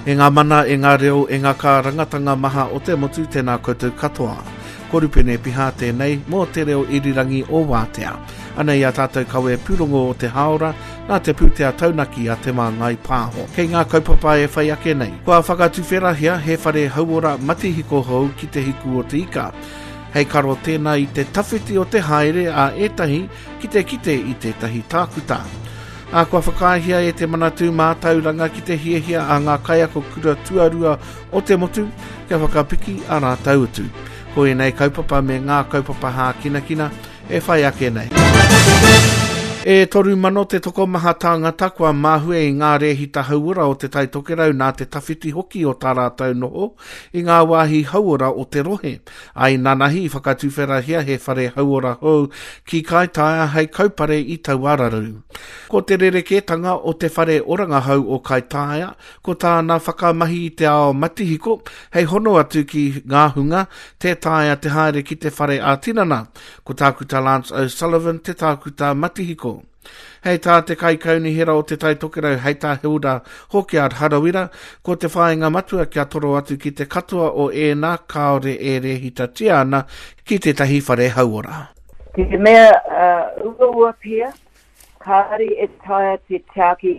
E ngā mana, e ngā reo, e ngā kārangatanga maha o te motu, tēnā koutou katoa. Ko Rupene Piha tēnei mō te reo irirangi o Wātea. Anei a tātou kawe pūrongo o te hāora, nā te pūtea taunaki a Te Māngai Pāho. Kei ngā kaupapa e whai ake nei, kua whakatuwherahia he whare hauora matihiko hou ki Te Hiku o Te Ika. Hei karo tēnā i te tawhiti o te haere a ētahi ki te kite i tētahi tākuta. Ā, kua whakaaehia e te Manatū Mātauranga ki te hiahia a ngā kaiako kura tuarua o te motu kia whakapiki ā rātou utu. Ko ēnei kaupapa me ngā kaupapa hākinakina e whai ake nei. E 3,000 te tokomaha tāngata kua mahue i ngā rēhita hauora o Te Tai Tokerau nā te tawhiti hoki o tā rātou noho i ngā wāhi hauora o te rohe. Ā, inanahi i whakatuwherahia he whare hauora hou ki Kaitaia hei kaupare i taua raru. Ko te rerekētanga o te whare oranga hou o Kaitaia, ko tāna whakamahi i te ao matihiko hei hono atu ki ngā hunga tē taea te haere ki te whare ā-tinana. Ko Tākuta Lance O'Sullivan te tākuta matihiko. Hei tā te Kaikaunihera o Te Tai Tokerau, hei tā Hilda Hawkyard Harawira, ko te whāinga matua kia toro atu ki te katoa o ēnā kāore e rēhitatia ana ki tētahi whare hauora. Te mea uaua pea, kāore e taea te tiaki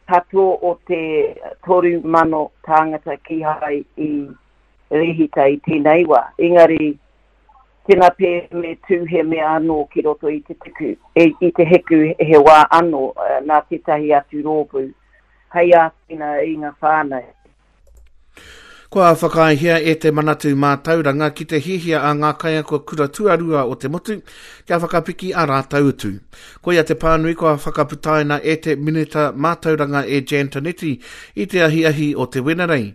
katoa o te 3,000 tāngata kīhai i rēhita i tēnei wā, engari Tēnā pē me tū he mea anō ki roto i te tuku, i te heku he wā anō nā tētahi atu rōpū hei āwhina i ngā whānau. Kua whakaaehia e Te Manatū Mātauranga ki te hiahia a ngā kaiako kura tuarua o te motu kia whakapiki ā rātou utu. Koia te pānui kua whakaputaina e te Minita Mātauranga e Jan Tinetti i te ahiahi o te Wenerei.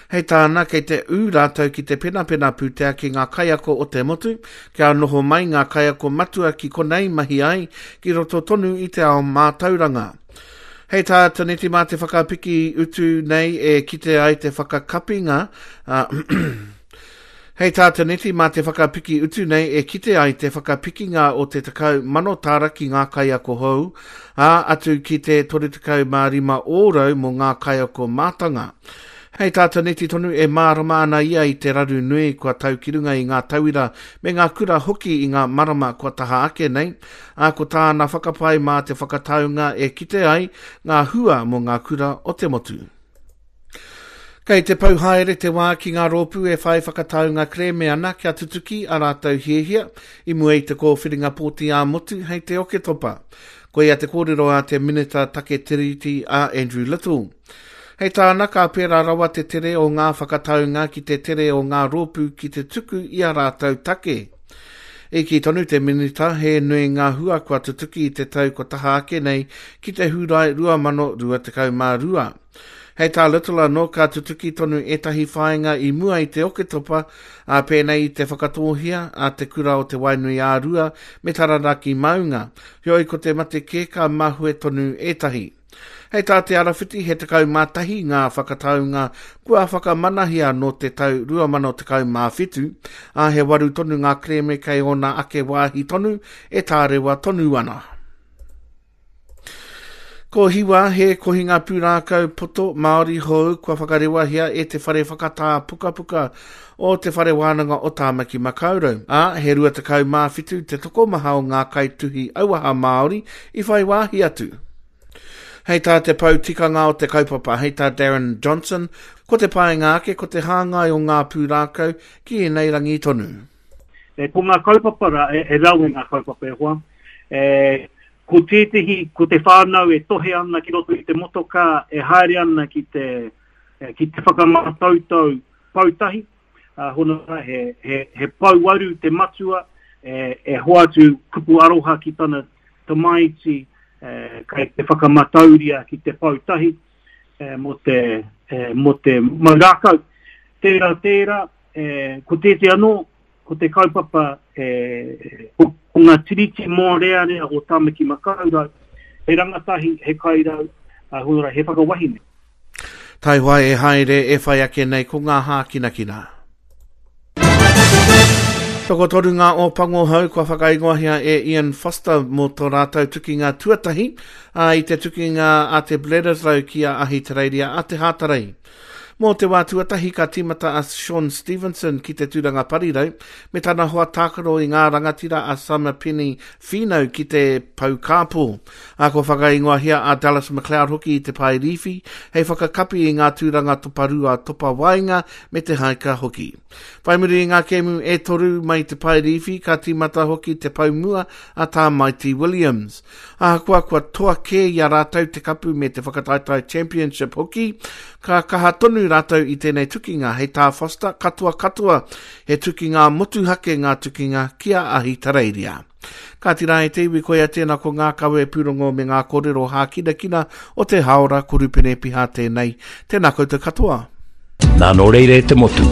Hei tāna, kei te ū rātou ki te penapena pūtea ki ngā kaiako o te motu, kia noho mai ngā kaiako matua ki konei mahi ai, ki roto tonu i te ao mātauranga. Hei tā Taneti mā te whakapiki utu nei e kite ai te whakakapinga, ā, Hei tā Taneti mā te whakapiki utu nei e kite ai te whakapikinga o te 10,000 tāra ki ngā kaiako hou, ā, atu ki te 35 ōrau mō ngā kaiako mātanga. Hei tā Taneti tonu e mārama ana ia i te raru nui kua tau ki runga i ngā tauira me ngā kura hoki i ngā marama kua taha ake nei, ā, ko tāna whakapae mā te whakataunga e kite ai ngā hua mō ngā kura o te motu. Kei te pau haere te wā ki ngā rōpū e whai whakataunga kerēme ana kia tutuki ā rātou hiahia i mua i te kōwhiringa pōti ā-motu hei te Oketopa. Koia te kōrero a te Minita Take Tiriti a Andrew Little. Hei tāna ka pērā rawa te tere o ngā whakataunga ki te tere o ngā rōpū ki te tuku i ā rātou take. I kī tonu te Minita he nui ngā hua kua tutuki i te tau kua taha ake nei ki te Hūrae 2022. Hei tā Little anō, ka tutuki tonu ētahi whāinga i mua i te Oketopa, ā, pēnei i te whakatōhia a Te Kura o Te Wainui-ā-Rua me Taranaki Maunga, heoi ko te mate kē ka mahue tonu ētahi. Hei tā Te Arawhiti, he 11 ngā whakataunga kua whakamanahia nō te tau 2017, ā, he waru tonu ngā kerēme kei ōna ake wāhi tonu e tārewa tonu ana. Ko Hiwa he kohinga pūrākau poto Māori hou kua whakarewahia e te Whare Whakatā Pukapuka o Te Whare Wānanga o Tāmaki Makaurau, ā, he 27 te tokomaha o ngā kaituhi auaha Māori i whai wāhi atu. Hei tā te pou tikanga o te kaupapa, hei tā Darren Johnson, ko te painga ake ko te hāngai o ngā pūrākau ki ēnei rangi tonu. E, ko ngā kaupapa rā, e, e rawe ngā kaupapa e hoa, e, ko tētehi, ko te whānau e tohe ana ki roto i te motokā, e haere ana ki te, ki te whakamātautau poutahi, uh, hono rā, he, he, he pouaru te matua, e, e hoatu kupu aroha ki tana tamaiti, e, kei te whakamatauria ki te poutahi, e, mō te, e, mō te mau rākau. Tērā, tērā, e, ko tētehi anō, ko te kaupapa e, ko, ko ngā tiriti mōrearea o Tāmaki Makaurau, he rangatahi, he kairau, a, hora, he whakawahine. Taihoa e haere e whai ake nei ko ngā hākinakina. Tokotoru ngā Ōpango hou kua whakaingoahia e Ian Foster mō tō rātou tukinga tuatahi, ā, i te tukinga a te Bledisloe ki a Ahitereiria a te Hātarei. Mō te wā tuatahi ka tīmata a Shaun Stevenson ki te tūranga parirau, me tana hoa tākaro i ngā rangatira a Samipeni Finau ki te pou kāpō. Ā, kua whakaingoahia a Dallas McLeod hoki i te pae rīwhi, hei whakakapi i ngā tūranga toparua, topawaenga me te haika hoki. Whai muri i ngā kēmu e toru mai te pae rīwhi, ka tīmata hoki te pou mua a Tā Mighty Williams. Ahakoa kua toa kē i a rātou te kapu me te whakataetae championship hoki, ka kaha tonu rātou i tēnei tukinga, hei tā Foster, katoa katoa, he tukinga motuhake ngā tukinga ki a Ahitereiria. Kāti rā e te iwi, koia tēnā ko ngā kawe pūrongo me ngā kōrero hākinakina o te hāora Korupene Piha tēnei. Tēnā koutou katoa. Nā nō reira e te motu,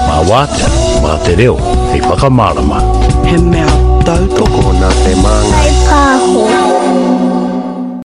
mā wātea, mā te reo, hei whakamārama. He mea tautoko. Tokona te māngai. Whai pāho.